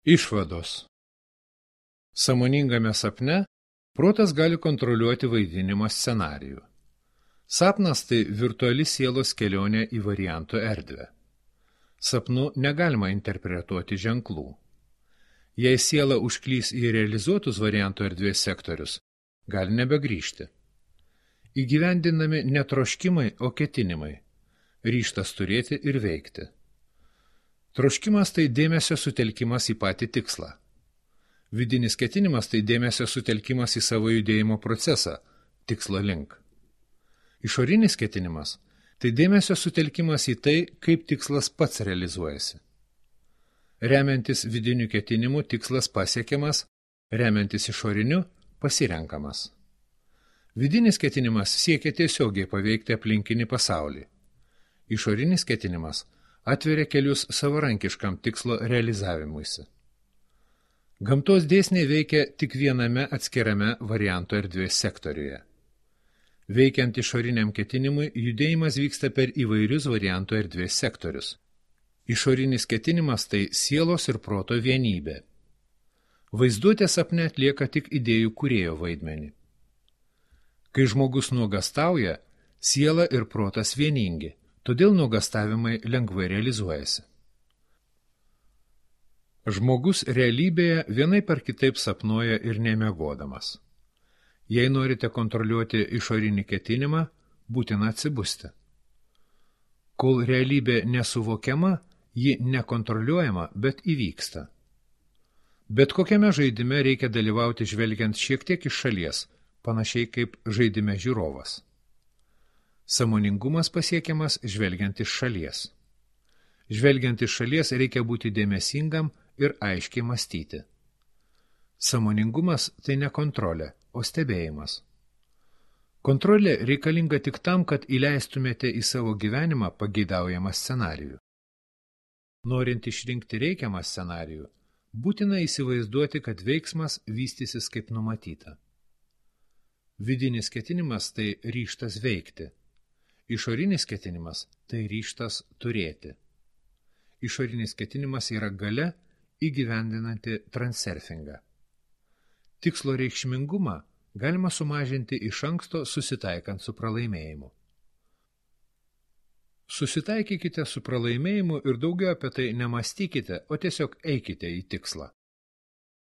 Išvados. Sąmoningame sapne protas gali kontroliuoti vaidinimo scenarijų. Sapnas tai virtuali sielos kelionė į variantų erdvę. Sapnu negalima interpretuoti ženklų. Jei siela užklys į realizuotus variantų erdvės sektorius, gali nebegrįžti. Įgyvendinami ne troškimai, o ketinimai. Ryžtas turėti ir veikti. Troškimas tai dėmesio sutelkimas į patį tikslą. Vidinis ketinimas tai dėmesio sutelkimas į savo judėjimo procesą, tikslo link. Išorinis ketinimas tai dėmesio sutelkimas į tai, kaip tikslas pats realizuojasi. Remiantis vidiniu ketinimu tikslas pasiekiamas, remiantis išoriniu pasirenkamas. Vidinis ketinimas siekia tiesiogiai paveikti aplinkinį pasaulį. Išorinis ketinimas atveria kelius savarankiškam tikslo realizavimuisi. Gamtos dėsniai veikia tik viename atskirame varianto erdvės sektoriuje. Veikiant išoriniam ketinimui, judėjimas vyksta per įvairius varianto erdvės sektorius. Išorinis ketinimas tai sielos ir proto vienybė. Vaizduotė sapne atlieka tik idėjų kūrėjo vaidmenį. Kai žmogus nuogastauja, siela ir protas vieningi, todėl nuogastavimai lengvai realizuojasi. Žmogus realybėje vienaip ar kitaip sapnuoja ir nemiegodamas. Jei norite kontroliuoti išorinį ketinimą, būtina atsibusti. Kol realybė nesuvokiama, ji nekontroliuojama, bet įvyksta. Bet kokiame žaidime reikia dalyvauti žvelgiant šiek tiek iš šalies, panašiai kaip žaidime žiūrovas. Sąmoningumas pasiekiamas žvelgiant iš šalies. Žvelgiant iš šalies reikia būti dėmesingam ir aiškiai mąstyti. Sąmoningumas tai ne kontrolė, o stebėjimas. Kontrolė reikalinga tik tam, kad įleistumėte į savo gyvenimą pageidaujamą scenarijų. Norint išrinkti reikiamą scenarijų, būtina įsivaizduoti, kad veiksmas vystysis kaip numatyta. Vidinis ketinimas tai ryžtas veikti. Išorinis ketinimas tai ryžtas turėti. Išorinis ketinimas yra galia įgyvendinanti transurfingą. Tikslo reikšmingumą galima sumažinti iš anksto susitaikant su pralaimėjimu. Susitaikykite su pralaimėjimu ir daugiau apie tai nemąstykite, o tiesiog eikite į tikslą.